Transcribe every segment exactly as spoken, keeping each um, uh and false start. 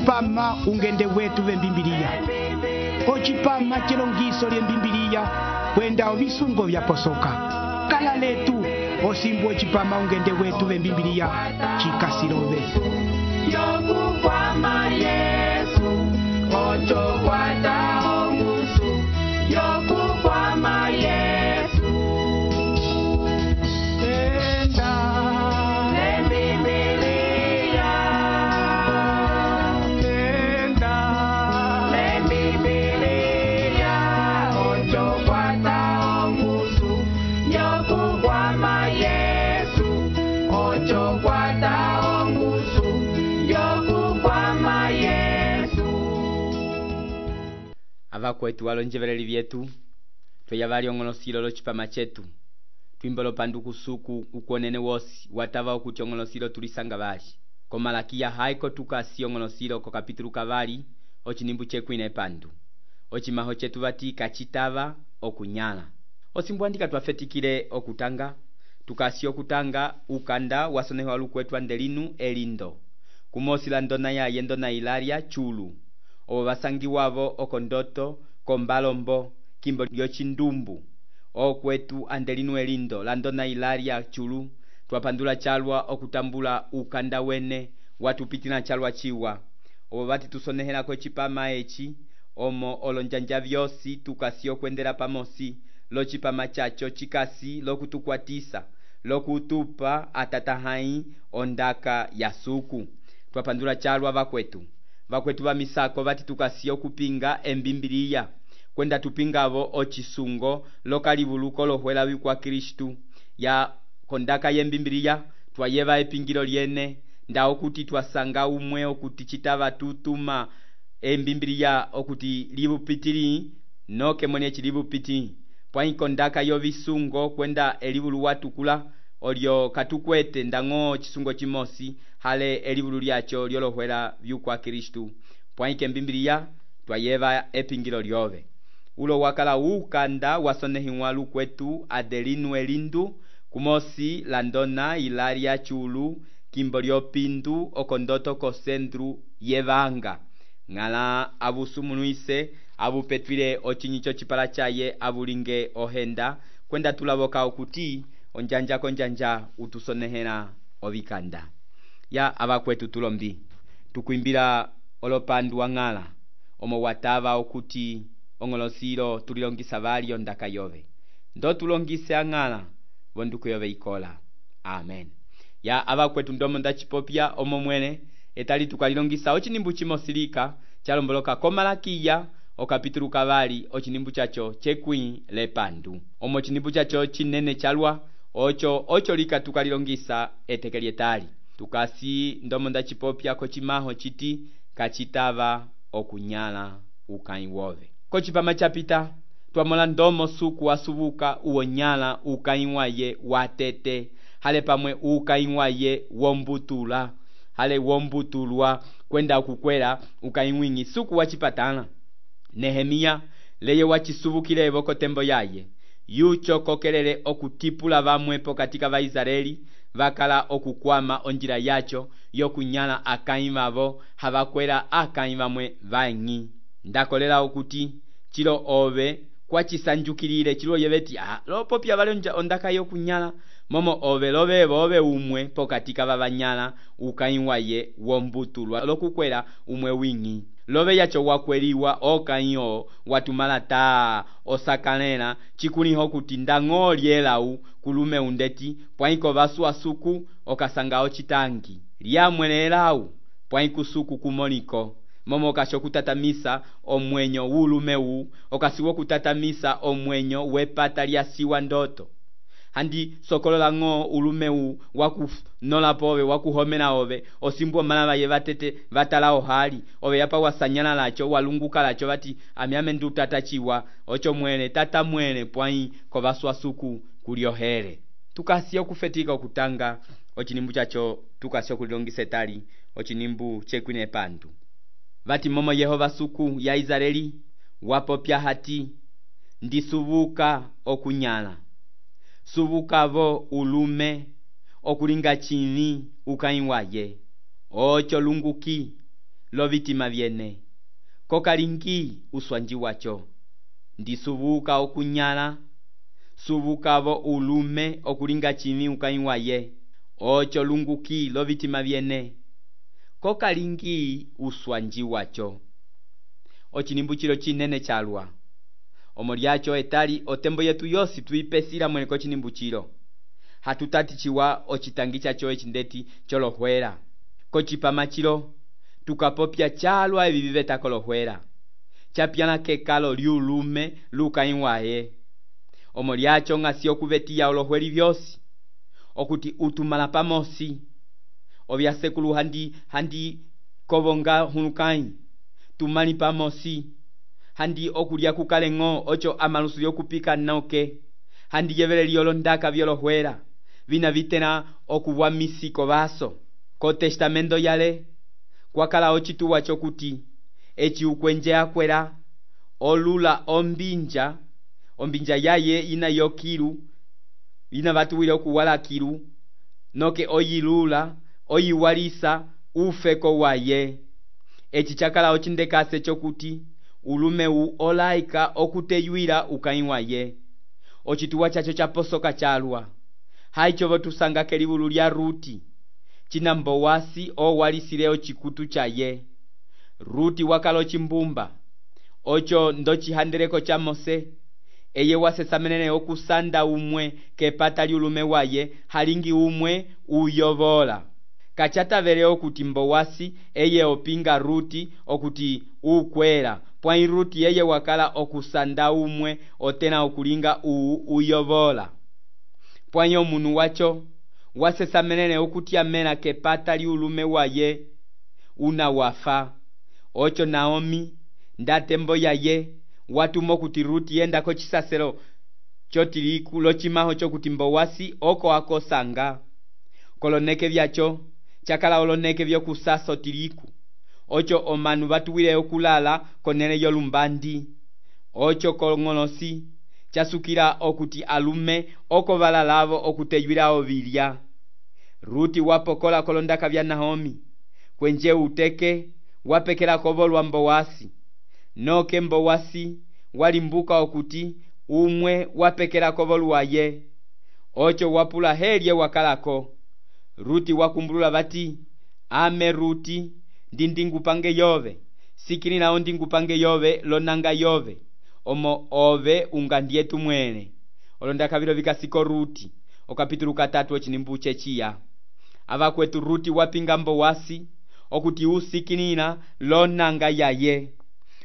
ocipama ungende wetu vembimbiliya, ocipama chilongiso lyembimbiliya kwenda ovisungo vyaposoka. Kala letu osimbu ocipama ungende wetu vembimbiliya chikasilove. Yokukwama Yesu, ocho kwata ongusu. Yokukwama Yesu, Enda lembibiliya, enda lembibiliya, ocho kwata ongusu. Yokukwama Yesu, ocho kwata ongusu. Yokukwama Yesu. Avakwetu walonjevereli vyetu tweyavali ong'olosilo locipama chetu twimbolo panduku suku ukwonene wosi watava okuti ong'olosilo tulisanga vali komalakiya haiko tukasi ong'olosilo ko kapitulu kavali ocinimbu chekwine pandu ocimaho chetu vati kacitava okunyala osimbwandika twafetikile okutanga tukasi okutanga ukanda wasoneho walukwetu andelinu elindo kumosi la ndona yaye ndona Ilaria chulu obo basangiwavo okondoto kombalombo kimbo lyocindumbu okwetu andelinu elindo landona Ilaria chulu twapandula chalwa okutambula ukanda wene watupitila chalwa chiwa obo bati tusonehela ko chipama echi omo olonjanja vyosi tukasi okwendela pamosi locipama chacho chikasi lokutukwatisa lokutupa atatahai ondaka ya suku twapandula chalwa vakwetu vakwetu va misako bati tukasi okupinga embimbiliya kwenda tupingavo ocisungo lokalivuluko lohwela vikwa Kristu ya kondaka yembimbiliya twayeva epingilo lyene nda okuti twasanga umwe okuti chitava tutuma embimbiliya okuti livupitili noke mwene chilivupiti pwa kondaka yo visungo kwenda elivulu watukula olyo katukwete ndango chisungo chimosi hale elivulu lyacho lyolohwela vikwa Kristu pwa embimbiliya twayeva epingilo lyove ulo wakala ukanda wasonehiwa lukwetu adelinu elindu kumosi landona Ilaria chulu kimbo lyopindu okondoto ko sendru yevanga ngala abusumunuise abupetwile ochinyicho chipala chaye abulinge ohenda kwenda tulavoka okuti onjanja konjanja utusonehela ovikanda ya abakwetu tulombi tukwimbila olopandu wangala omo watava okuti ong'olosilo tulilongisa vali ondaka yove ndo tulongise angala vonduku yove ikola amen ya abakwetu ndomo ndachipopya omo mwene etali tukalilongisa ochinimbu chimosilika chalomboloka komalakiya okapitulu kavali ochinimbu chacho chekwi lepandu omo chinimbu chacho chinene chalwa ocho ocho lika tukalilongisa etekelietali tukasi ndomo ndachipopya kochimaho chiti kachitava okunyala ukai wove kochipama chapita twamola ndomo suku wasubuka uonyala ukai waye watete hale pamwe ukai waye wombutula hale wombutulwa kwenda kukwela ukai mwingi suku wachipatana Nehemia leye wachisubukile evoko tembo yaye yucho kokelele okutipula vamwepo katika va Israeli vakala okukwama onjila yacho yokunyala akai vavo havakwela akai vamwe vangi ndakolela okuti chilo ove kwa chisanjukilile chilo yeveti ah lopo pya vale ondaka yokunyala momo ove love ove umwe pokatika vavanyala ukai waye wombutulwa lokukwela umwe wingi love yacho wakweliwa okayo watumala ta osakanela chikuliho kuti ndango lyelau kulume undeti pwaiko vasu asuku okasanga ochitangi lyamwelelau pwaiko suku kumoliko momo kasho kutatamisa omwenyo wulumeu okasiwo kutatamisa omwenyo wepata lyasiwa ndoto handi sokolola ngo ulumeu waku nola pove wakuhomela ove osimbo malava yevatete vatalao hali ove yapa wasanyala lacho walunguka lacho vati amiame ndu tatachiwa ocho mwene tata mwene pwai kovaswa suku kuliohere tukasiyo kufetika okutanga ochinimbu chacho tukasiyo kulilongisa etali ochinimbu chekwine pandu vati momo Yehova suku ya Israeli wapopya hati ndisubuka okunyala subukavo ulume okulinga chini ukai waye ocho lunguki lo vitima vyene, kokalingi uswanji wacho. Ndisubuka okunyala, subukavo ulume okulinga chimi ukaiwaye, ocho lunguki lo vitima vyene, kokalingi uswanji wacho. Ochinimbuchilo chinene chalwa. Omoliacho etali otembo yetu yosi tuipesila mweneko chinimbuchilo. Hatutatichiwa ochitangi chacho echindeti cholohwela. Kochipamachilo tukapopya chalwa ebibiveta kolohwela. Chapiana kekalo liulume lukaiwaye. Omoliacho ngasi okuvetia olohweli byosi. Okuti utumala pamosi. Obya sekulu handi handi kobonga hunukai. Tumali pamosi. Handi okulia kukalengo ocho amalusu yokupika nauke. Handi yevele liolondaka byolohwela. Vina vitena okuwa misiko baso. Ko testamento yale kwakala ochituwa chokuti echi ukwenje akwera olula ombinja ombinja yaye ina yokilu ina batuwile okuwala kilu noke oyilula oyiwalisa ufeko waye. Echi chakala ochindekase chokuti ulume u olaika okuteyuira ukaiwaye. Ochituwa chacho chaposoka chalwa. Haicho votusanga kelibulu lya Ruti. Chinambo wasi o walisile chikutu chaye. Ruti wakalo chimbumba. Ocho ndochi handereko cha Mose. Eye wasesamenene okusanda umwe kepata liulume waye halingi umwe uyovola. Kachata vele okuti mbowasi eye opinga Ruti okuti ukwela. Pwai Ruti eye wakala okusanda umwe otena okulinga u uyovola. Pwanyo munu wacho wasesamenene okuti amena kepata liulume waye una wafa. Ocho Naomi ndatembo yaye watumo kuti Ruti yenda ko chisaselo chotiliku lo chimaho chokuti mbowasi oko akosanga. Koloneke vyacho chakala oloneke vyokusaso tiliku. Ocho omanu batuwile okulala konene yolumbandi. Ocho kolongonosi chasukira okuti alume oko balalavo okuteyuira obilya. Ruti wapokola kolondaka vya Naomi. Kwenje uteke wapekela kobolwa mbowasi. Noke mbowasi walimbuka okuti umwe wapekela kobolwa ye. Ocho wapula helye wakalako. Ruti wakumbulula bati ame Ruti ndindingupange yove. Sikini nao ndingupange yove lonanga yove. Omo ove ungandietu mwene. Olondaka vilo vikasiko Ruti. Okapitulu katatu ochinimbuche chia. Ava kwetu Ruti wapinga mbowasi okuti usikinina lonanga yaye.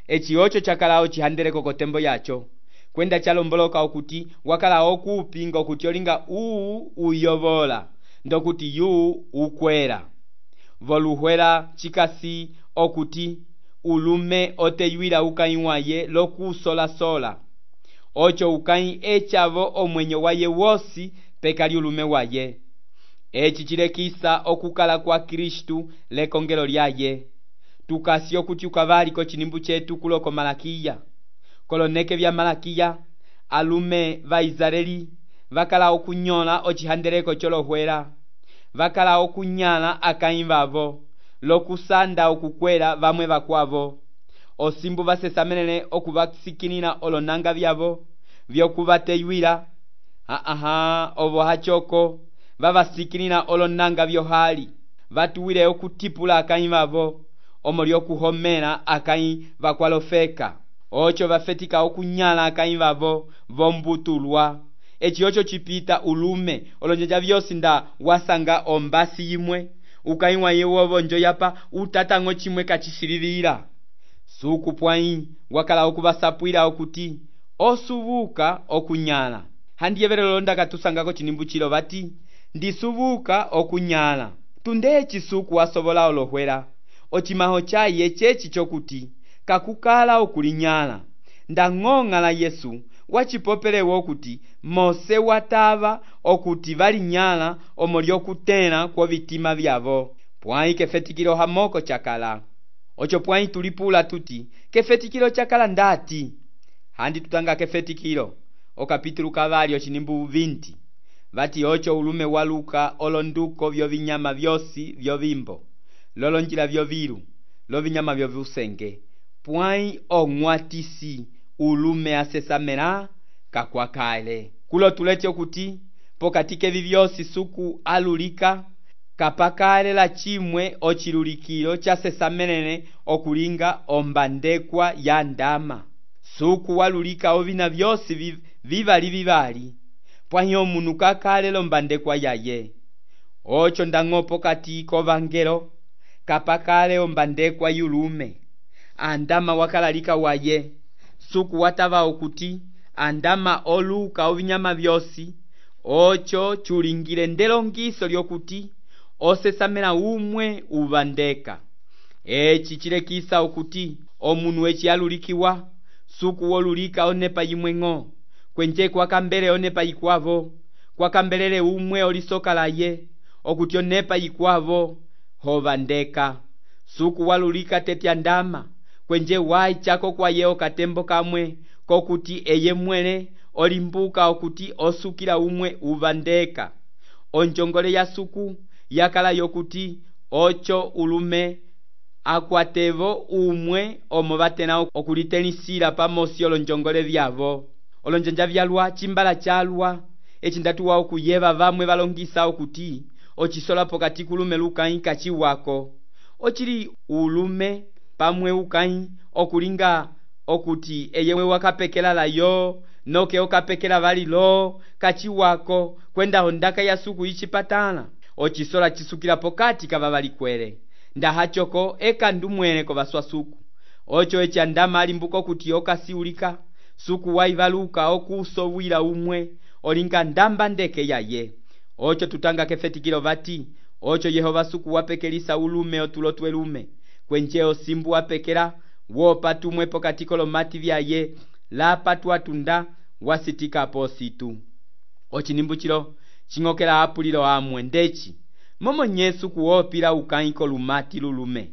Echi ocho chakala ochihandereko kotembo yacho. Kwenda chalomboloka okuti wakala okupinga okuti olinga uu uyovola. Ndokuti yu ukwera. Voluhwela chikasi okuti ulume oteyuira ukaiwaye loku sola sola. Ocho ukai echavo omwenyo waye wosi pekali ulume waye. Echi chilekisa okukala kwa Kristu lekongelo lyaye. Tukasi okuti ukavali ko chinimbu chetu kuloko Malakia. Koloneke vya Malakia alume va Israeli vakala okunyola ochihandereko cholohwela. Vakala okunyala akaimvavo lokusanda okukwela vamwe vakwavo. Osimbu vasesamenene okuvasikinina olonanga vyavo vyokuvateyuira. Aha ovo hachoko vavasikinina olonanga vyohali vatuwile okutipula akaimvavo omolio kuhomela akai vakwalofeka. Ocho vafetika okunyala akaimvavo vombutulwa. Echi ocho chipita ulume olonjeja vyosi nda wasanga ombasi imwe ukaiwa yewovo njo yapa utatango chimwe kachisilivira. Suku pwai wakala okuvasapwila okuti osubuka okunyala. Handi yevele londa katusangako chinimbuchilo bati ndisubuka okunyala. Tundechi suku wasobola olohwela. Ochimaho chaye chechi chokuti kakukala okulinyala. Ndangonga la Yesu wachipopelewa okuti Mose watava okuti valinyala omolio kutena kwa vitima vyavo. Pwai kefetikilo hamoko chakala. Ocho pwai tulipula tuti kefetikilo chakala ndati. Handi tutanga kefetikilo okapitulu kavali ochinimbu vinti. Vati ocho ulume waluka olonduko vyo vinyama vyosi vyo vimbo. Lolonjila vyo viru. lovinyama vyovyusenge pwãyi ong'watisi ulume asesamela kakwakale. Kulo tulete okuti pokati kevi vyosi suku alulika kapakale la chimwe ochilulikilo chasesamelene okulinga ombandekwa ya ndama. Suku walulika ovina vyosi vivali vivali pwãyi omunu kakale lombandekwa yaye. Ocho ndang'o pokati kovangelo kapakale ombandekwa yulume. Andama wakalalika waye suku watava okuti andama oluka ovinyama vyosi. Ocho chulingile ndelongiso lyokuti osesamela umwe uvandeka. Echi chilekisa okuti omunu echi alulikiwa suku wolulika onepa yimweng'o kwenje kwakambele onepa yikwavo kwakambelele umwe olisoka laye okuti onepa yikwavo hovandeka. Suku walulika tetya ndama kwenje wayi chako kwaye okatembo kamwe kokuti eye mwele olimbuka okuti osukila umwe uvandeka. Onjongole ya suku yakala yokuti ocho ulume akwatevo umwe omo vatena okulitenisila pamosi olonjongole vyavo. Olonjanja vyalwa chimbala chalwa echindatuwa okuyeva vamwe valongisa okuti ochisola pokati kulume lukayi kachiwako. Ochili ulume pamwe ukayi okulinga okuti eyewe wakapekela layo noke okapekela valilo kachiwako kwenda ondaka ya suku ichipatala. Ochisola chisukila pokati kavavalikwele ndahachoko eka ndumwele kovaswa suku. Ocho echa ndama alimbuka okuti okasiulika suku waivaluka okusowila umwe olinga ndamba ndeke yaye. Ocho tutanga kefetikilo vati ocho Yehova suku wapekelisa ulume otulo twelume kwenje osimbu wapekela wopatumwe pokati kolomati vyaye lapatu atunda wasitika positu. Ochinimbuchilo ching'okela apulilo amwe ndechi momo nye suku wopila ukayi kolumati lulume.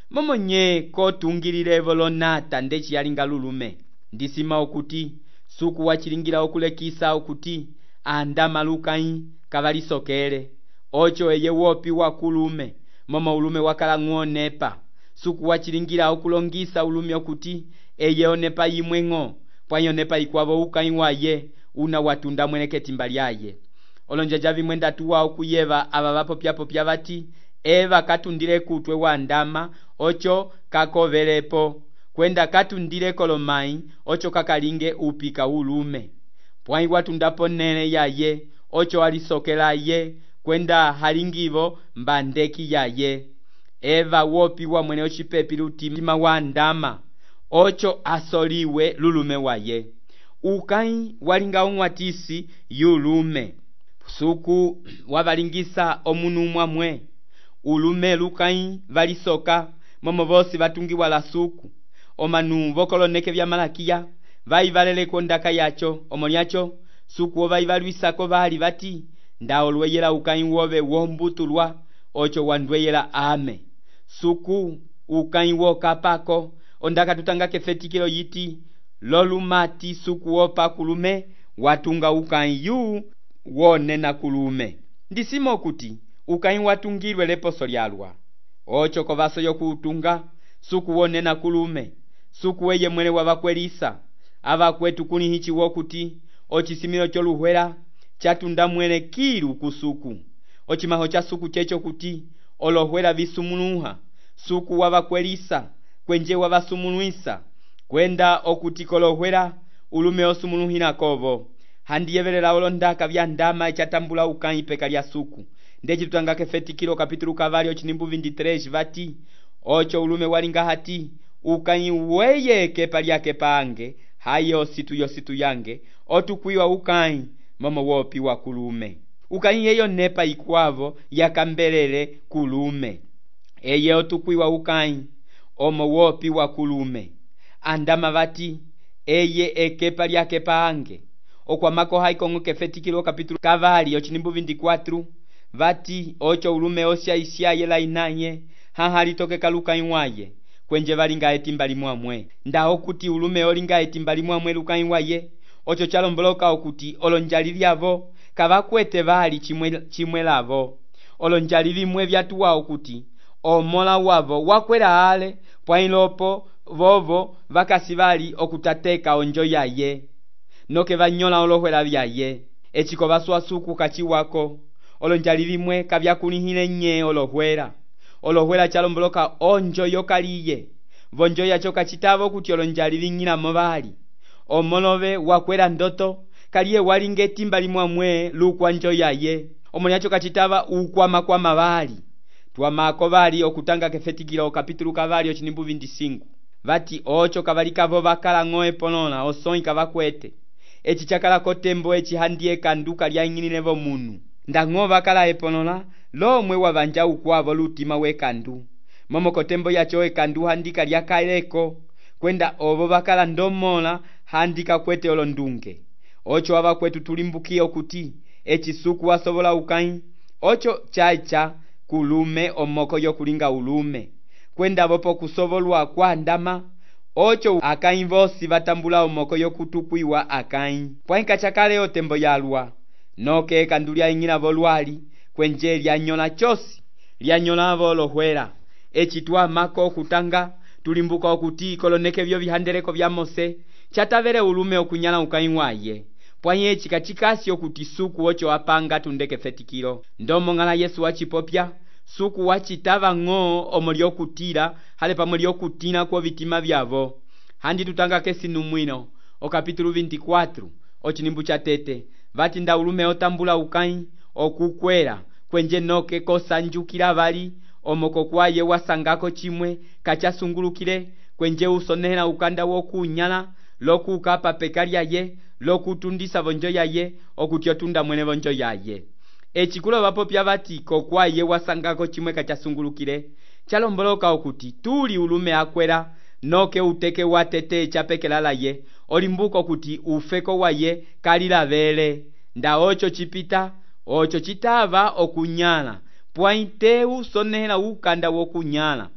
Momo nye kotungilile volonata ndechi yalinga lulume. Ndisima okuti suku wachilingila okulekisa okuti andama lukayi kavalisokele. Ocho eye wopi wakulume momo ulume wakala ng'onepa. Suku wachilingila okulongisa ulume okuti eye onepa yimweng'o pwãyi onepa yikwavo ukayi waye una watunda mweleketi mbalyaye. Olonjanja vimwe ndatuwa okuyeva ava vapopya-popya vati eva katundile kutwe wa ndama ocho kakovelepo kwenda katundile kolomayi ocho kakalinge upika ulume. Pwãyi watundapo nene yaye ocho alisokela ye kwenda halingivo mbandeki yaye. Eva wopi wa mwene ochipepi lutima wa ndama ocho asoliwe lulume waye. Ukayi walinga ong'watisi yulume. Suku wavalingisa omunu mwamwe ulume lukayi valisoka momo vosi vatungiwa la suku. Omanu vokoloneke vya Malakiya vaivaleleko ndaka yacho omolyacho suku wovaivalwisako vali vati ndaolweyela ukayi wove wombutulwa ocho wandweyela ame. Suku ukayi wokapako ondaka tutanga kefetikilo yiti lolumati suku wopa kulume watunga ukayi yu wonena kulume. Ndisimo okuti ukayi watungilwe leposo lyalwa. Ocho kovaso yokutunga suku wonena kulume. Suku weye mwele wavakwelisa avakwetu kuni hichi wokuti ochisimilo choluhwela chatunda mwele kilu kusuku. Ochimaho cha suku checho kuti olohwela visumunuha suku wavakwelisa kwenje wavasumunuisa kwenda okuti kolohwela ulume osumunuhina kovo. Handiyevelela olondaka vya ndama echatambula ukayi peka lya suku. Ndechi tutanga kefetikilo kapitulu kavari ochinimbu vinditresi vati ocho ulume walinga hati ukayi weye kepa lyake pange hayo situ yositu yange otukwiwa ukayi momo wopi wa kulume. Ukayi yeyo nepa ikwavo yakambelele kulume. Eye otukwiwa ukayi omo wopi wa kulume. Andama vati eye ekepa lyake pange. Okwamako haikongo kefetikilo kapitulu kavari ochinimbu vindikwatru vati ocho ulume osya isyaye la inaye hahali toke kalukayi waye kwenje valinga etimbali mwamwe. Nda okuti ulume olinga etimbali mwamwe lukayi waye ocho chalomboloka okuti olonjali lyavo kavakwete vali chimwe, chimwe lavo. Olonjali vimwe vyatuwa okuti omola wavo wakwera ale pwailopo vovo vakasi vali okutateka onjo yaye noke vanyola olohwela vyaye echiko vaswasuku kachiwako olonjali vimwe kavyakulihile nye olohwela olohwela chalomboloka onjo yokaliye vonjo yacho kachitavo kuti olonjali ving'ilamo vali omolove wakwera ndoto kaliye walinga etimba limwamwe lukwa njo yaye omoni yacho kachitava ukwamakwama vali twamako vali okutanga kefetikilo kapitulu kavali ochinimbu vinte e cinco vati ocho kavalikavo vakala ng'o epolola osõi kavakwete eci chakala kotembo eci handie kanduka lyang'inilevo munu ndang'o vakala epolola lomwe wavanja ukwavo lutima wekandu momo kotembo yacho ekandu handika lyakaleko kwenda ovo vakala ndomola handika kwete olondunge ocho avakwetu tulimbukie okuti eci suku wasovola ukai ocho chaicha kulume omoko yokulinga ulume kwenda vopo kusovolwa kwa ndama ocho akai vosi vatambula omoko yokutukwiwa akai pwainka chakale otembo yalwa noke ekandu lyaing'ila volwali kwenje lyanyola chosi lyanyolavo olohwela eci twamako okutanga tulimbuka okuti koloneke vyo vihandeleko vya Mose chatavele ulume okunyala ukai waye pwai eci kachikasi okuti suku ocho apanga tundeke fetikilo ndomo ng'ala Yesu wachipopya suku wachitava ng'o omo lyokutila hale pamwe lyokutina kwa vitima vyavo handi tutanga kesi numwino o kapitulu vinte e quatro ochinimbu cha tete vati nda ulume otambula ukai okukwera kwenje noke kosanjukila vali omoko kwaye wasangako chimwe kachasungulukile kwenje usonehela ukanda wokunyala lokukapa peka lyaye lokutundisa vonjo yaye okuti otunda mwene vonjo yaye echikulo vapopya vati kokwaye wasangako chimwe kachasungulukile chalomboloka okuti tuli ulume akwera noke uteke watete chapekelalaye olimbuka okuti ufeko waye kalilavele nda ocho chipita ocho chitava okunyala pwaite usonehela ukanda wokunyala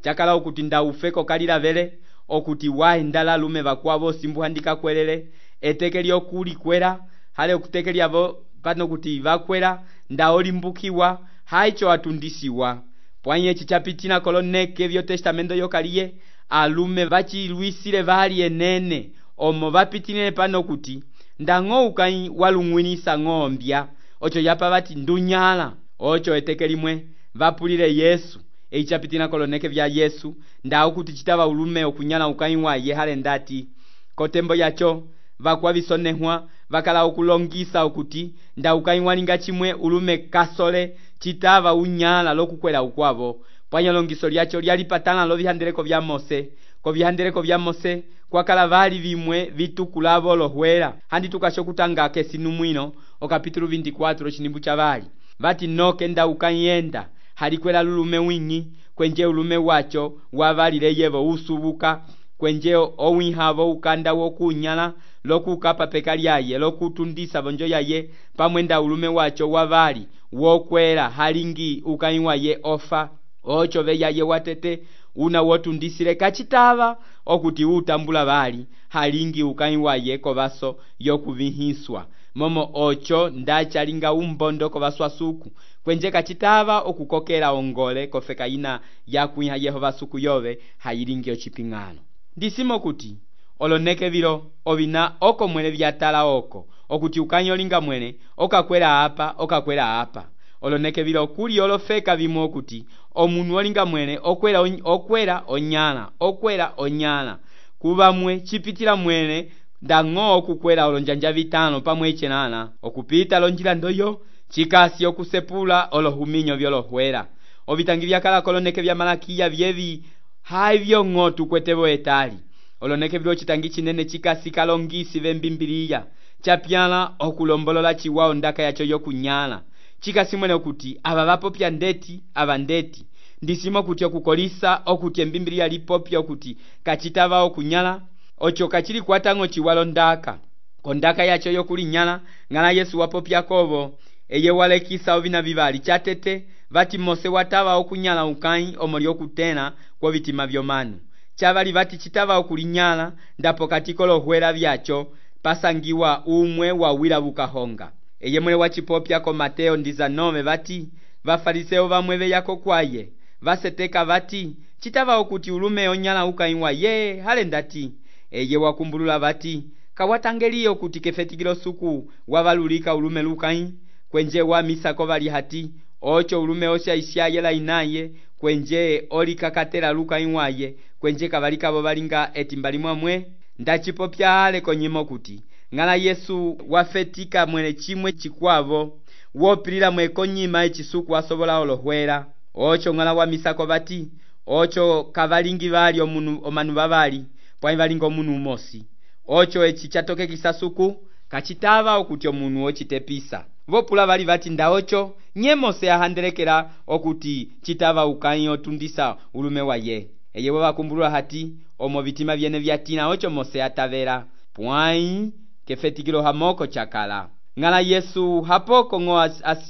chakala okuti nda ufeko kalilavele okuti waendala lume vakwavo simbu handika kwelele eteke lyokulikwera hale okuteke lyavo pano kuti vakwera nda olimbukiwa haicho atundisiwa pwai eci chapitina koloneke vyo testamento yokaliye alume vachilwisile vali enene omo vapitinile pano kuti ndang'o ukai walung'winisa ng'ombya ocho yapa vati ndunyala ocho eteke limwe vapulile Yesu eci chapitina koloneke vya Yesu nda okuti chitava ulume okunyala ukai waye hale ndati kotembo yacho vakwavisonehwa vakala okulongisa okuti nda ukai walinga chimwe ulume kasole chitava unyala lokukwela ukwavo pwanya longiso lyacho lyalipatana lo vihandeleko vya Mose ko vihandeleko vya Mose kwakala vali vimwe vitukulavo olohwela handi tukasho kutanga kesi numwino o kapitulu vinte e quatro ochinimbu cha vali vati noke nda ukayenda halikwela lulume wingi kwenje ulume wacho wavalile yevo usubuka kwenje owihavo ukanda wokunyala lokukapa peka lyaye lokutundisa vonjo yaye pamwe nda ulume wacho wavali wokwela halingi ukai waye ofa ocho ve yaye watete una wotundisile kachitava okuti utambula vali halingi ukai waye kovaso yokuvihiswa momo ocho ndachalinga umbondo kovaswasuku kwenje kachitava okukokela ongole kofeka ina yakwiha Yehova suku yove hayilingi ochiping'ano ndisimo kuti oloneke vilo ovina oko mwene vyatala oko okuti ukanyolinga mwene okakwela apa okakwela apa oloneke vilo kuli olofeka vimwe okuti omunu olinga mwene okwela on, okwela onyala okwela onyala kuvamwe chipitila mwene ndang'o okukwela olonjanja vitano pamwe ichenana okupita lonjila ndoyo chikasi okusepula olohuminyo vyolohwela ovitangi vyakala koloneke vya Malakiya vyevi haivyo ng'o tukwetevo etali oloneke vilo chitangi chinene chikasi kalongisi vembimbiliya chapyala okulombolola chiwao ndaka yacho yokunyala chikasi mwene okuti ava vapopya ndeti ava ndeti ndisimo kuti okukolisa okuti embimbiliya lipopya okuti kachitava okunyala ocho kachili kwatang'o chiwalo ndaka kondaka yacho yokulinyala ng'ala Yesu wapopya kovo eye walekisa ovina vivali chatete vati Mose watava okunyala ukai omo lyokutena kwa vitima vyomanu chavali vati chitava okulinyala ndapo katiko lohwela vyacho pasangiwa umwe wawila vukahonga eye mwele wachipopya ko Mateo ndiza nove vati vafariseo vamwe veyako kwaye vaseteka vati, citava okuti ulume onyala ukãyi waye hale ndati. Eye wakumbulula vati, kawatangeliye okuti kefetikilo suku wavalulika ulume lukãyi, kwenje wamisako vali hati, ocho ulume osha ishaye inaye, kwenje olikakatela lukãyi waye, kwenje kavalikavo valinga etimba limwamwe. Ndacipopya hale konyimo kuti, ng'ala Yesu wafetika mwene chimwe chikwavo, wopilila mwe konyima echisuku wasobola olohwela. Ocho ng'ala wamisako vati, ocho kavalingi vali omunu omanu vavali, pwai valinga omunu umosi. Ocho echi chatokekisa suku, kachitava okuti omunu ochitepisa. Vopula vali vati nda ocho, nyemose ahandelekela okuti chitava ukãyi otundisa ulume waye. Eye wakumbulula hati, omo vitima vyene vyatina ocho mose atavela, pwai kefetikilo hamoko chakala. Ng'ala Yesu hapoko ng'o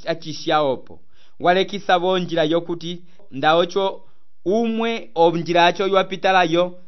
achisha opo, walekisa vonjila yokuti nda ocho umwe onjila acho yuapitalayo,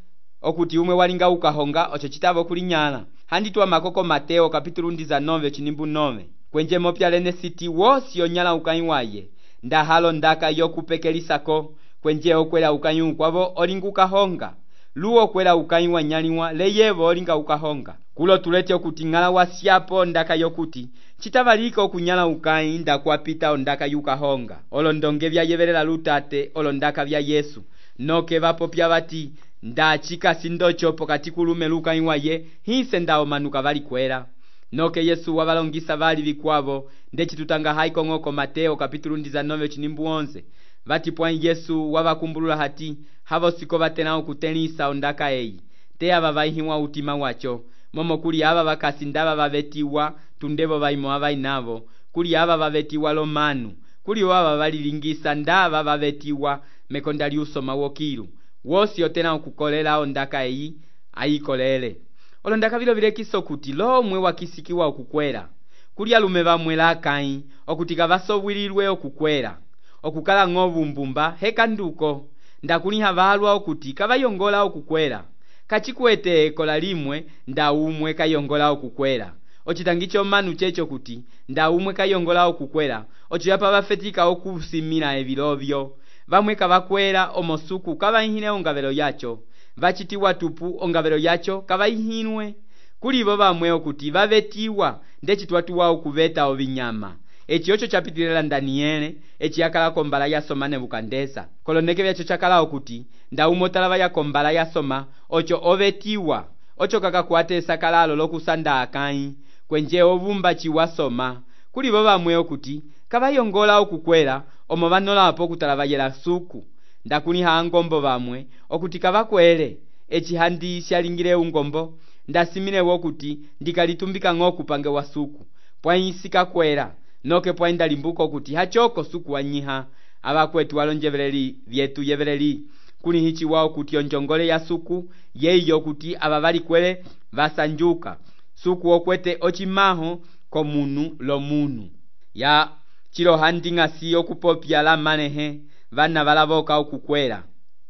okuti umwe walinga ukahonga ocho chitavo kulinyala. Handitwa makoko Mateo kapitulu ndiza nove chinimbu nove. Kwenje mopya lene siti wosi onyala ukãyi waye, nda halo ndaka yokupekelisako, kwenje okwela ukãyi ukwavo olinga ukahonga. Luo kwela ukãyi wanyaliwa leyevo olinga ukahonga. Kulo tulete okuti ng'ala wasyapo ndaka yokuti chitavalika okunyala ukãyi nda kuapita ondaka yukahonga. Olondonge vya yevelela lutate olondaka vya Yesu, noke vapopya vati nda chikasi ndocho pokati kulume lukãyi waye, hise nda omanuka vali kwela. Noke Yesu wavalongisa vali vikwavo, ndechitutanga haiko ng'oko Mateo kapitulu ndiza nove chinimbu onze. Vati pwai Yesu wavakumbulula hati, havo siko vatena okutenisa ondaka eyi, te ava vaihiwa utima wacho, momo kuli ava vakasi ndava vavetiwa, tundevo vaimo ava inavo, kuli ava vavetiwa lomanu, kuli ava valilingisa ndava vavetiwa mekonda liusoma wokilu, wosi otena okukolela ondaka eyi, ayikolele. Olondaka vilo vilekiso kuti lo mwe wakisikiwa okukwela, kuli alume vamwe lakãyi, okuti kavasowililwe okukwela, okukala ng'ovu mbumba heka nduko, ndakuliha valwa okuti kavayongola okukwela, kachikwete ekola limwe nda umwe kayongola okukwela. Ochitangicho manu checho kuti nda umwe kayongola okukwela, ocho yapa vafetika okusimila evilovyo, vamwe kavakwela omosuku kavaihine ongavelo yacho, vachitiwa tupu ongavelo yacho kavaihinwe. Kulivo vamwe okuti vavetiwa ndechitwatuwa okuveta ovinyama. Echi ocho chapitilela Daniele, echi yakala kombala yasoma Nebukadneza. Koloneke vyacho chakala okuti nda umotala yakombala yasoma, ocho ovetiwa, ocho kakakwate sakalalo lokusanda akãyi, kwenje ovumba chiwasoma. Kulivo vamwe okuti kavayongola okukwela, omo vanolapo kutala vayela suku. Ndakuniha angombo vamwe okuti kavakwele, echi handi shalingile ungombo, ndasimilewo okuti ndikalitumbika ng'oku pange wa suku, pwai sikakwela. Noke pwainda limbuko kuti hachoko suku wanyiha, abakwetu walonjeveleli vyetu yeveleli, kuni hichi wao kuti onjongole ya suku, yeyo kuti ababali kwele vasanjuka, suku okwete ochimaho komunu lo munu. Ya chilo handinga si okupopya la manehe, vana valavoka okukwela.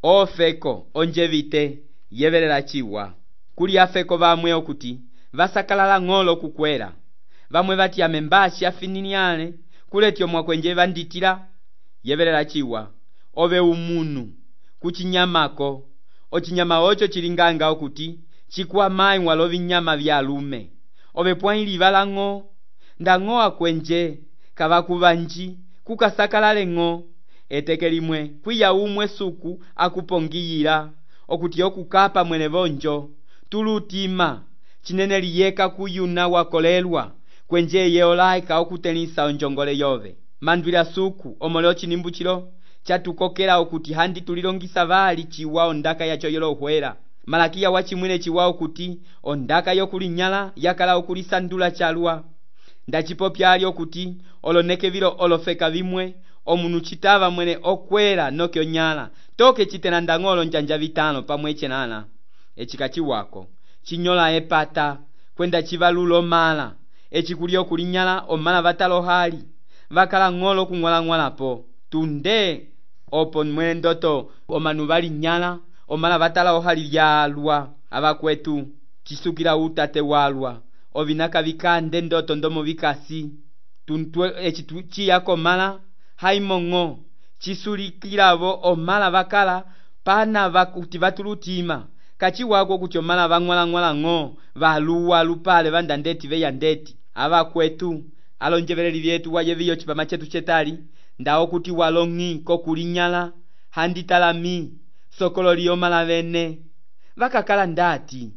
Ofeko onjevite yevelela chiwa, kuli afeko vamwe okuti vasakalala ng'olo kukwela. Vamwe vati ya membashi afininiane, kuletyo mwakwenje vanditila, yevelela chiwa, ove umunu, kuchinyamako, ochinyama ocho chilinganga okuti, chikuwa mai walovi nyama vya lume, ove pwaili vala ng'o, nda ng'o akwenje, kavakuvanji, kukasakalale ng'o, etekelimwe, kuya umwe suku, akupongiyila, okuti okukapa mwene vonjo, tulutima, chinene liyeka kuyuna wakolelwa, kwenje yeolaika okutenisa onjongole yove. Mandwila suku omoleo chinimbu chilo chatukokela okuti handi tulilongisa vali chiwa ondaka yacho yolohwela. Malakia wachimwile chiwa okuti ondaka yokulinyala yakala okulisandula chalwa. Ndachipopya ali okuti oloneke vilo olofeka vimwe, omunu chitava mwene okwela noke onyala, toke chitena ndang'olo njanja vitano pamweche nana. Echikachi wako chinyola epata kwenda chivalulo mala, echikulio kulinyala omala vatalo hali, vakala ng'olo kung'wala ng'walapo, tunde opo mwene ndoto omanu vali nyala, omala vatala ohali lyalwa, abakwetu chisukila utate walwa, ovinaka vikande ndoto ndomo vikasi, tuntwe echitu chiyako mala, haimo ng'o, chisulikilavo omala vakala pana vakuti vatulutima kachiwako kuti omala vang'walang'walang'o valuwa lupale vanda ndeti veya ndeti ava kwetu alonjeveleli vyetu wayeviyo chipama chetu chetali ndawo kuti walong'i kokulinyala handitalami sokololi omala vene vakakala ndati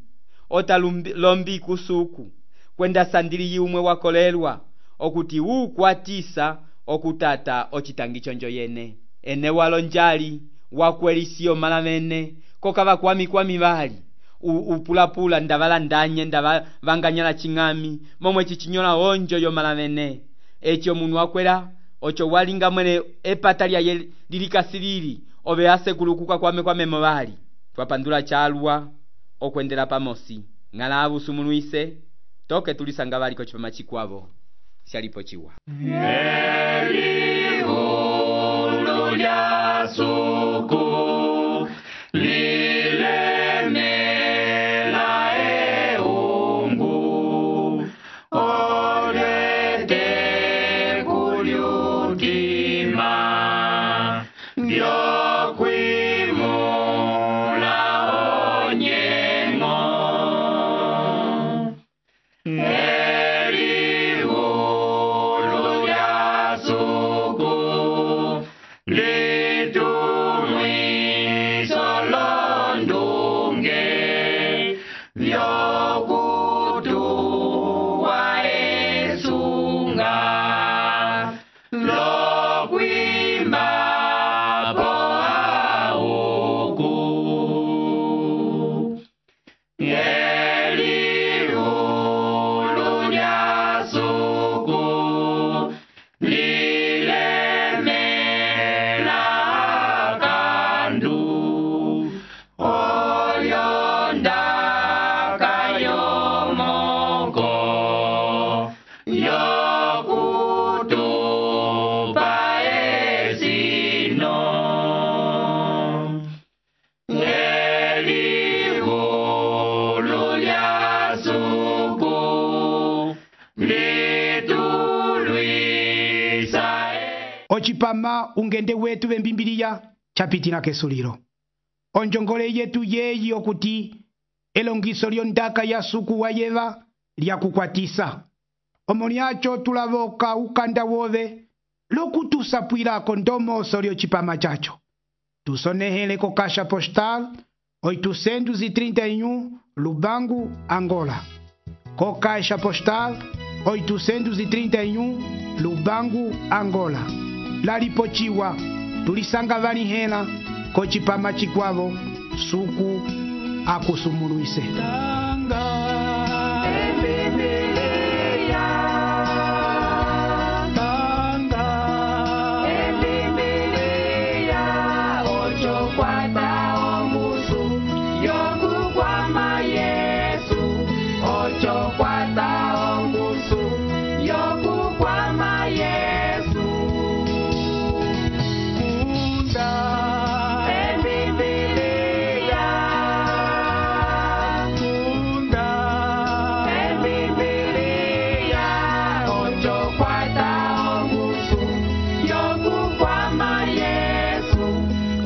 otalombi kusuku kwenda sandili yumwe wakolelwa okuti ukwatisa okutata ochitangi chonjo yene ene walonjali wakwelisiyo mala vene kokava kwami kwami vali upulapula ndavala ndanye ndava vanganyala ching'ami momwe chichinyola onjo yo mala vene echo munu wakwela ocho walinga mwene epata lyaye lilikasilili ove asekulukuka kwame kwamemo vali twapandula chalwa okwendela pamosi ng'alavu sumunuise toke tulisanga valiko chipama chikwavo shalipo chiwa Eliulu lya suku lilemela eungu olete kulyutima vyokwimula onyengo ochipama ungende wetu vembimbiliya chapitina kesulilo onjongole yetu yeyi okuti elongiso lyondaka ya suku wayeva lyakukwatisa omo lyacho tulavoka ukanda wove lokutusapwilako ndomoso lyocipama chacho tusonehele ko kasha postal oitocentos e trinta e um Lubango, Angola. Co caixa postal oitocentos e trinta e um Lubango, Angola. Laripochiwa tulisanga vani hena kochipama chikwavo suku akusumuluise.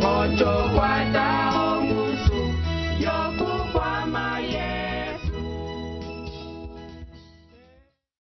Ocho, cuatro,